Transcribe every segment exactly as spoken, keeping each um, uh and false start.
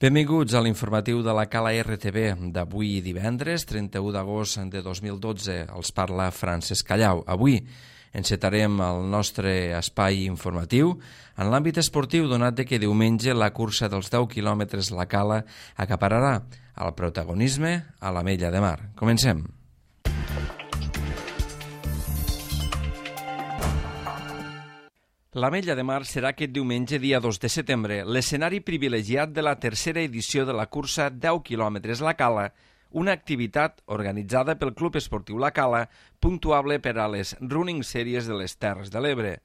Benvinguts a l'informatiu de la Cala R T V d'avui divendres, trenta-u d'agost de dos mil dotze. Els parla Francesc Callau. Avui encetarem el nostre espai informatiu en l'àmbit esportiu, donat que diumenge la cursa dels deu quilòmetres La Cala acapararà el protagonisme a l'Ametlla de Mar. Comencem. L'Ametlla de Mar serà aquest diumenge, dia dos de setembre, l'escenari privilegiat de la tercera edició de la cursa deu quilòmetres La Cala, una activitat organitzada pel Club Esportiu La Cala, puntuable per a les Running Series de les Terres de l'Ebre.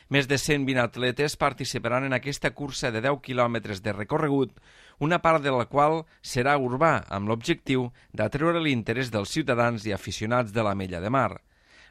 Més de cent vint atletes participaran en aquesta cursa de deu quilòmetres de recorregut, una part de la qual serà urbà, amb l'objectiu d'atreure l'interès dels ciutadans i aficionats de l'Ametlla de Mar.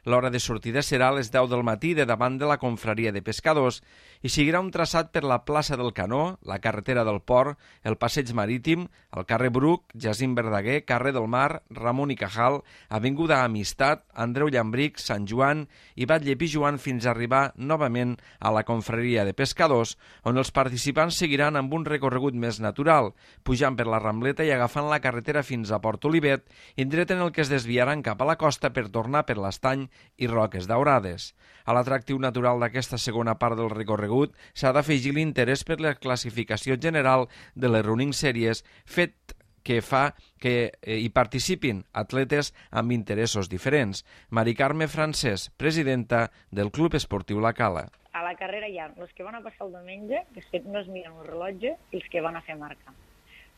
L'hora de sortida serà a les deu del matí de davant de la confraria de pescadors i seguirà un traçat per la plaça del Canó, la carretera del Port, el passeig marítim, el carrer Bruc, Jacint Verdaguer, carrer del Mar, Ramon i Cajal, avinguda Amistat, Andreu Llambric, Sant Joan i Batlle Pijuan fins a arribar novament a la confraria de pescadors, on els participants seguiran amb un recorregut més natural, pujant per la Rambleta i agafant la carretera fins a Port Olivet, indret en el que es desviaran cap a la costa per tornar per l'Estany i Roques Daurades. A l'atractiu natural d'aquesta segona part del recorregut s'ha d'afegir l'interès per la classificació general de les Running Series, fet que fa que hi participin atletes amb interessos diferents. Mari Carme Francesc, presidenta del Club Esportiu La Cala. A la carrera hi ha els que van a passar el diumenge, que no es miren el rellotge, i els que van a fer marca.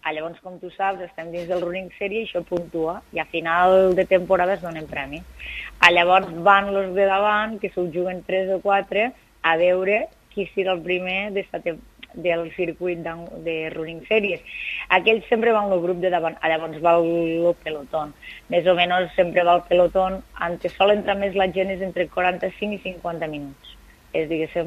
Ah, llavors, com tu saps, estem dins del Running Series i això puntua, i a final de temporada es donen premis. Ah, llavors van els de davant, que s'ho juguen tres o quatre, a veure qui serà el primer del circuit de Running Series. Aquells sempre van el grup de davant, ah, llavors va el pelotón. Més o menys sempre va el pelotón, on sol entrar més la gent és entre quaranta-cinc i cinquanta minuts. És, diguéssim,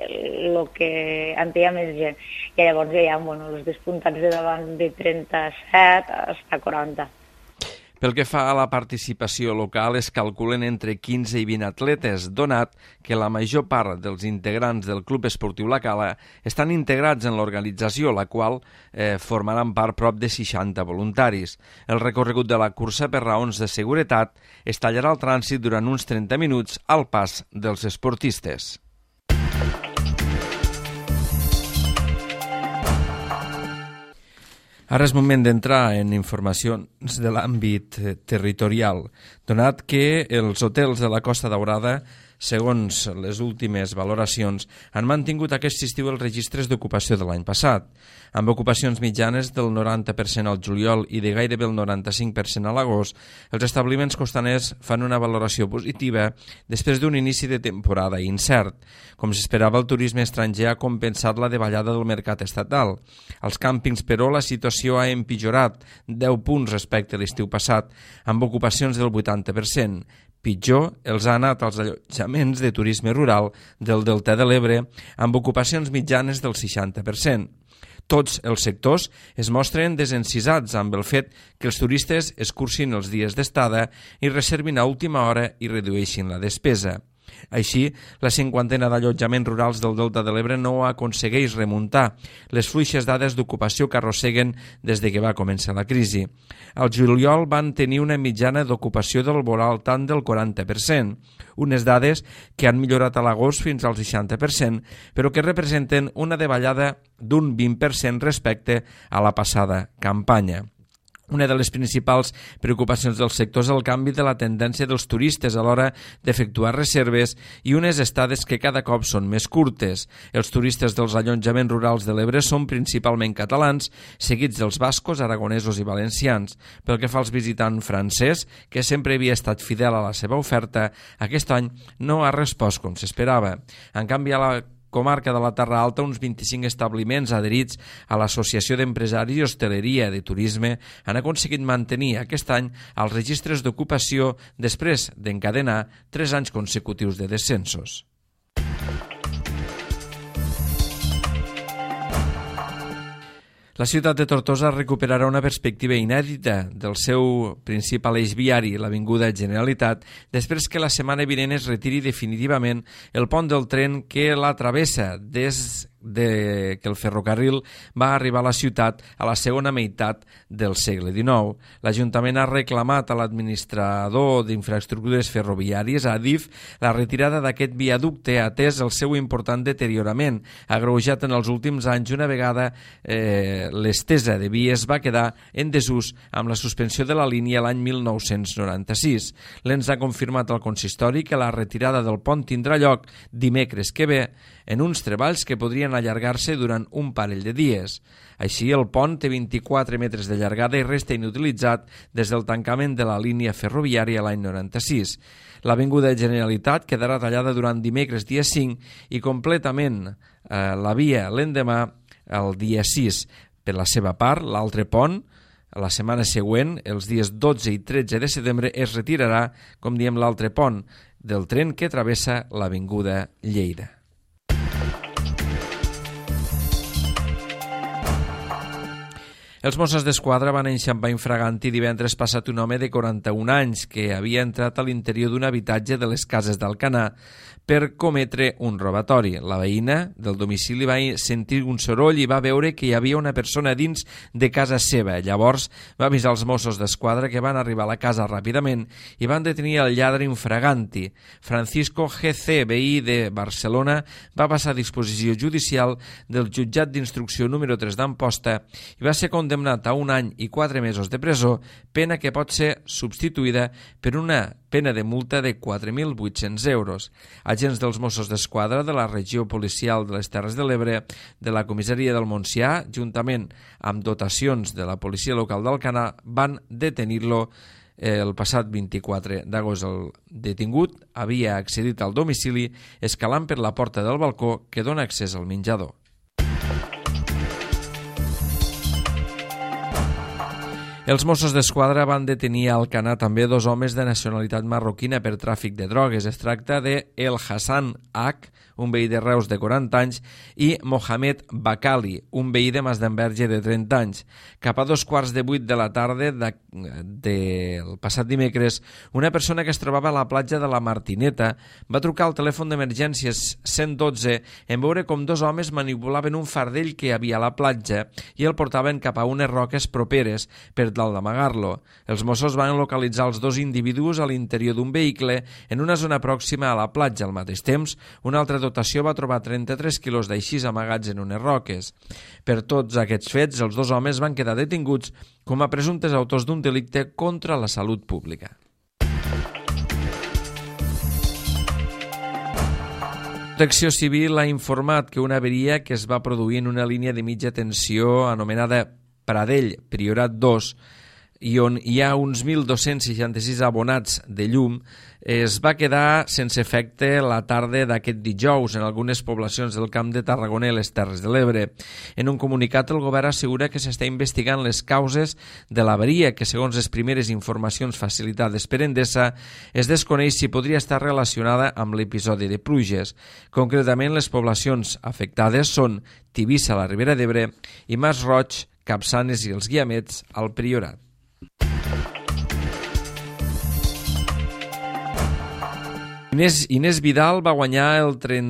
el que en té més gent. I llavors hi ha bueno, els despuntats de davant de trenta-set a quaranta. Pel que fa a la participació local, es calculen entre quinze i vint atletes, donat que la major part dels integrants del Club Esportiu La Cala estan integrats en l'organització, la qual eh, formaran part prop de seixanta voluntaris. El recorregut de la cursa, per raons de seguretat, es tallarà el trànsit durant uns trenta minuts al pas dels esportistes. Ara és moment d'entrar en informacions de l'àmbit territorial, donat que els hotels de la Costa Daurada, segons les últimes valoracions, han mantingut aquest estiu els registres d'ocupació de l'any passat, amb ocupacions mitjanes del noranta per cent al juliol i de gairebé el noranta-cinc per cent a l'agost. Els establiments costaners fan una valoració positiva després d'un inici de temporada incert. Com s'esperava, el turisme estranger ha compensat la davallada del mercat estatal. Als càmpings, però, la situació ha empitjorat deu punts respecte a l'estiu passat, amb ocupacions del vuitanta per cent. Pitjor els ha anat als allotjaments de turisme rural del Delta de l'Ebre, amb ocupacions mitjanes del seixanta per cent. Tots els sectors es mostren desencisats amb el fet que els turistes escurcin els dies d'estada i reservin a última hora i redueixin la despesa. Així, la cinquantena d'allotjaments rurals del Delta de l'Ebre no aconsegueix remuntar les fluixes dades d'ocupació que arrosseguen des de que va començar la crisi. Al juliol van tenir una mitjana d'ocupació del voral tant del quaranta per cent, unes dades que han millorat a l'agost fins al seixanta per cent, però que representen una davallada d'un vint per cent respecte a la passada campanya. Una de les principals preocupacions del sector és el canvi de la tendència dels turistes a l'hora d'efectuar reserves i unes estades que cada cop són més curtes. Els turistes dels allotjaments rurals de l'Ebre són principalment catalans, seguits dels bascos, aragonesos i valencians. Pel que fa als visitants francès, que sempre havia estat fidel a la seva oferta, aquest any no ha respost com s'esperava. En canvi, a la comarca de la Terra Alta, uns vint-i-cinc establiments adherits a l'Associació d'Empresaris i Hostaleria de Turisme han aconseguit mantenir aquest any els registres d'ocupació després d'encadenar tres anys consecutius de descensos. La ciutat de Tortosa recuperarà una perspectiva inèdita del seu principal eix viari, l'avinguda Generalitat, després que la setmana vinent es retiri definitivament el pont del tren que la travessa des de que el ferrocarril va arribar a la ciutat a la segona meitat del segle dinou. L'Ajuntament ha reclamat a l'administrador d'infraestructures ferroviàries, Adif, la retirada d'aquest viaducte atès el seu important deteriorament, agreujat en els últims anys una vegada eh, l'estesa de vies va quedar en desús amb la suspensió de la línia l'any mil nou-cents noranta-sis. L'ens ha confirmat al consistori que la retirada del pont tindrà lloc dimecres que ve en uns treballs que podrien allargar-se durant un parell de dies. Així, el pont té vint-i-quatre metres de llargada i resta inutilitzat des del tancament de la línia ferroviària l'any noranta-sis. L'Avinguda Generalitat quedarà tallada durant dimecres dia cinc i completament eh, la via l'endemà el dia sis. Per la seva part, l'altre pont, la setmana següent, els dies dotze i tretze de setembre, es retirarà, com diem, l'altre pont del tren que travessa l'Avinguda Lleida. Els Mossos d'Esquadra van enxampar infraganti divendres passat un home de quaranta-un anys que havia entrat a l'interior d'un habitatge de les Cases d'Alcanar per cometre un robatori. La veïna del domicili va sentir un soroll i va veure que hi havia una persona dins de casa seva. Llavors va avisar els Mossos d'Esquadra, que van arribar a la casa ràpidament i van detenir el lladre infraganti. Francisco G C, veí de Barcelona, va passar a disposició judicial del jutjat d'instrucció número tres d'Amposta i va ser condemnat a un any i quatre mesos de presó, pena que pot ser substituïda per una pena de multa de quatre mil vuit-cents euros. Agents dels Mossos d'Esquadra de la regió policial de les Terres de l'Ebre, de la comissaria del Montsià, juntament amb dotacions de la policia local d'Alcanar, van detenir-lo el passat vint-i-quatre d'agost. El detingut havia accedit al domicili escalant per la porta del balcó que dona accés al menjador. Els Mossos d'Esquadra van detenir a Alcanar també dos homes de nacionalitat marroquina per tràfic de drogues. Es tracta de El Hassan H, un veí de Reus de quaranta anys, i Mohamed Bakali, un veí de Masdenverge de trenta anys. Cap a dos quarts de vuit de la tarda del de, de passat dimecres, una persona que es trobava a la platja de la Martineta va trucar al telèfon d'emergències cent dotze en veure com dos homes manipulaven un fardell que hi havia a la platja i el portaven cap a unes roques properes per tal d'amagar-lo. Els Mossos van localitzar els dos individus a l'interior d'un vehicle en una zona pròxima a la platja. Al mateix temps, una altra dotació va trobar trenta-tres quilos d'aixís amagats en unes roques. Per tots aquests fets, els dos homes van quedar detinguts com a presumptes autors d'un delicte contra la salut pública. Protecció Civil ha informat que una averia que es va produir en una línia de mitja tensió anomenada Pradell, Priorat dos, i on hi ha uns mil dos-cents seixanta-sis abonats de llum, es va quedar sense efecte la tarda d'aquest dijous en algunes poblacions del Camp de Tarragona i les Terres de l'Ebre. En un comunicat, el govern assegura que s'està investigant les causes de l'avaria, que segons les primeres informacions facilitades per Endesa, es desconeix si podria estar relacionada amb l'episodi de pluges. Concretament, les poblacions afectades són Tivissa, a la Ribera d'Ebre, i Mas Roig, Capçanes i els Guiamets, al Priorat. Inés, Inés Vidal va guanyar el tren,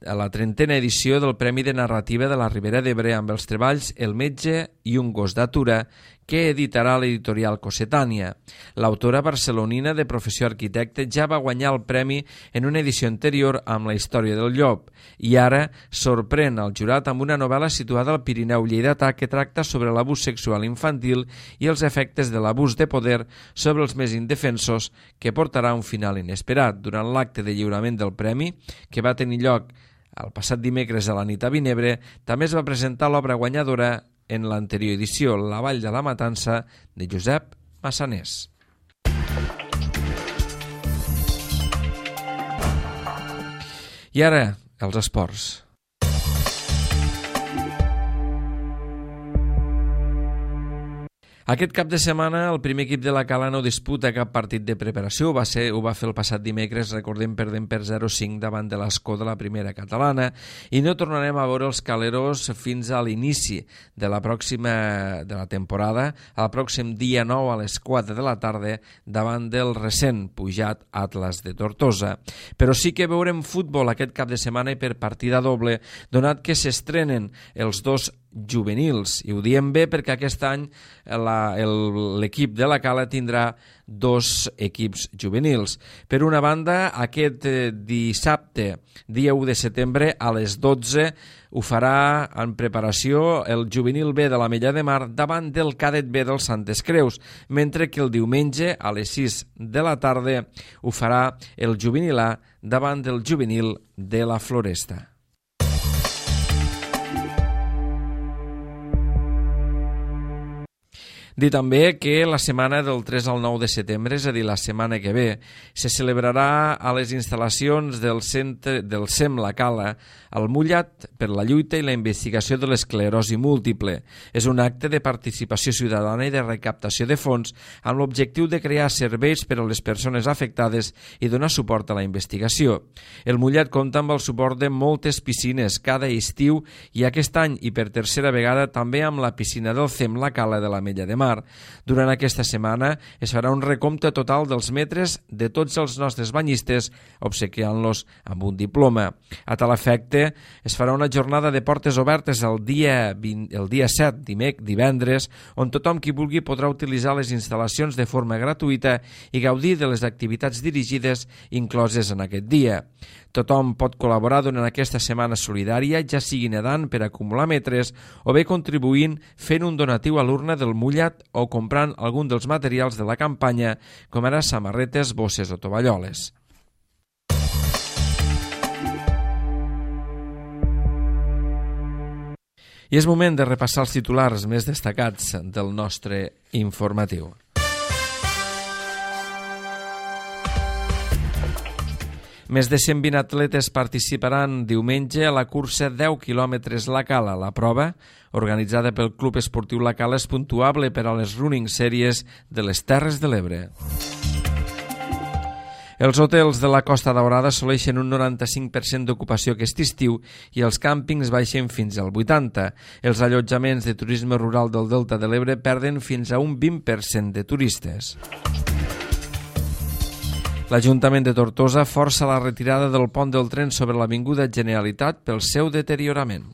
a la trentena edició del Premi de Narrativa de la Ribera d'Ebre amb els treballs El metge i un gos d'atura, que editarà l'editorial Cossetània. L'autora barcelonina de professió arquitecte ja va guanyar el premi en una edició anterior amb La història del llop i ara sorprèn al jurat amb una novel·la situada al Pirineu lleidatà que tracta sobre l'abús sexual infantil i els efectes de l'abús de poder sobre els més indefensos, que portarà un final inesperat. Durant l'acte de lliurament del premi, que va tenir lloc el passat dimecres a la nit a Vinebre, també es va presentar l'obra guanyadora en l'anterior edició, La vall de la matança, de Josep Massanés. I ara, els esports. Aquest cap de setmana el primer equip de la Cala no disputa cap partit de preparació, ho va, ser, ho va fer el passat dimecres, recordem, perdent per zero cinc davant de l'Escó de la primera catalana, i no tornarem a veure els caleros fins a l'inici de la pròxima de la temporada, al pròxim dia nou a les quatre de la tarda davant del recent pujat Atlas de Tortosa. Però sí que veurem futbol aquest cap de setmana i per partida doble, donat que s'estrenen els dos juvenils, i ho diem bé perquè aquest any l'equip de la Cala tindrà dos equips juvenils. Per una banda, aquest eh, dissabte, dia u de setembre, a les dotze, ho farà en preparació el juvenil B de l'Ametlla de Mar davant del cadet B del Santes Creus, mentre que el diumenge, a les sis de la tarda, ho farà el juvenil A davant del juvenil de la Floresta. Dir també que la setmana del tres al nou de setembre, és a dir, la setmana que ve, se celebrarà a les instal·lacions del centre del C E M La Cala el Mullat per la lluita i la investigació de l'esclerosi múltiple. És un acte de participació ciutadana i de recaptació de fons amb l'objectiu de crear serveis per a les persones afectades i donar suport a la investigació. El Mullat compta amb el suport de moltes piscines cada estiu i aquest any, i per tercera vegada, també amb la piscina del C E M La Cala de l'Ametlla de Mar. Durant aquesta setmana es farà un recompte total dels metres de tots els nostres banyistes, obsequiant-los amb un diploma. A tal efecte, es farà una jornada de portes obertes el dia, vint, el dia set, dimec, divendres, on tothom qui vulgui podrà utilitzar les instal·lacions de forma gratuïta i gaudir de les activitats dirigides incloses en aquest dia. Tothom pot col·laborar durant aquesta setmana solidària, ja sigui nedant per acumular metres o bé contribuint fent un donatiu a l'urna del Mullat o comprant algun dels materials de la campanya, com ara samarretes, bosses o tovalloles. I és moment de repassar els titulars més destacats del nostre informatiu. Més de cent vint atletes participaran diumenge a la cursa deu quilòmetres La Cala. La prova, organitzada pel Club Esportiu La Cala, és puntuable per a les running series de les Terres de l'Ebre. Els hotels de la Costa Daurada assoleixen un noranta-cinc per cent d'ocupació aquest estiu i els càmpings baixen fins al vuitanta per cent. Els allotjaments de turisme rural del Delta de l'Ebre perden fins a un vint per cent de turistes. L'Ajuntament de Tortosa força la retirada del pont del tren sobre l'Avinguda Generalitat pel seu deteriorament.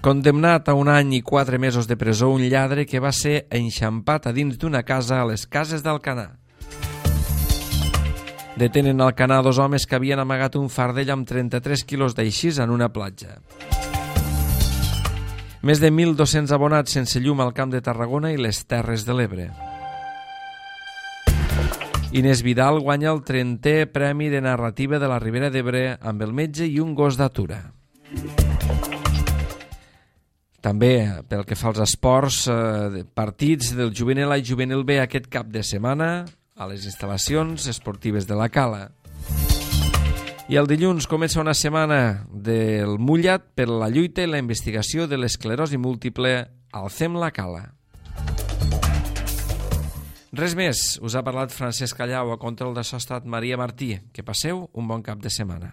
Condemnat a un any i quatre mesos de presó un lladre que va ser enxampat a dins d'una casa a les Cases d'Alcanar. Detenen al Alcanar dos homes que havien amagat un fardell amb trenta-tres quilos d'aixís en una platja. Més de mil dos-cents abonats sense llum al Camp de Tarragona i les Terres de l'Ebre. Inés Vidal guanya el trentè Premi de Narrativa de la Ribera d'Ebre amb El metge i un gos d'atura. També, pel que fa als esports, eh, partits del juvenil A i juvenil B aquest cap de setmana a les instal·lacions esportives de la Cala. I el dilluns comença una setmana del Mullat per la lluita i la investigació de l'esclerosi múltiple al C E M La Cala. Res més, us ha parlat Francesc Callau, a control de so ha estat Maria Martí. Que passeu un bon cap de setmana.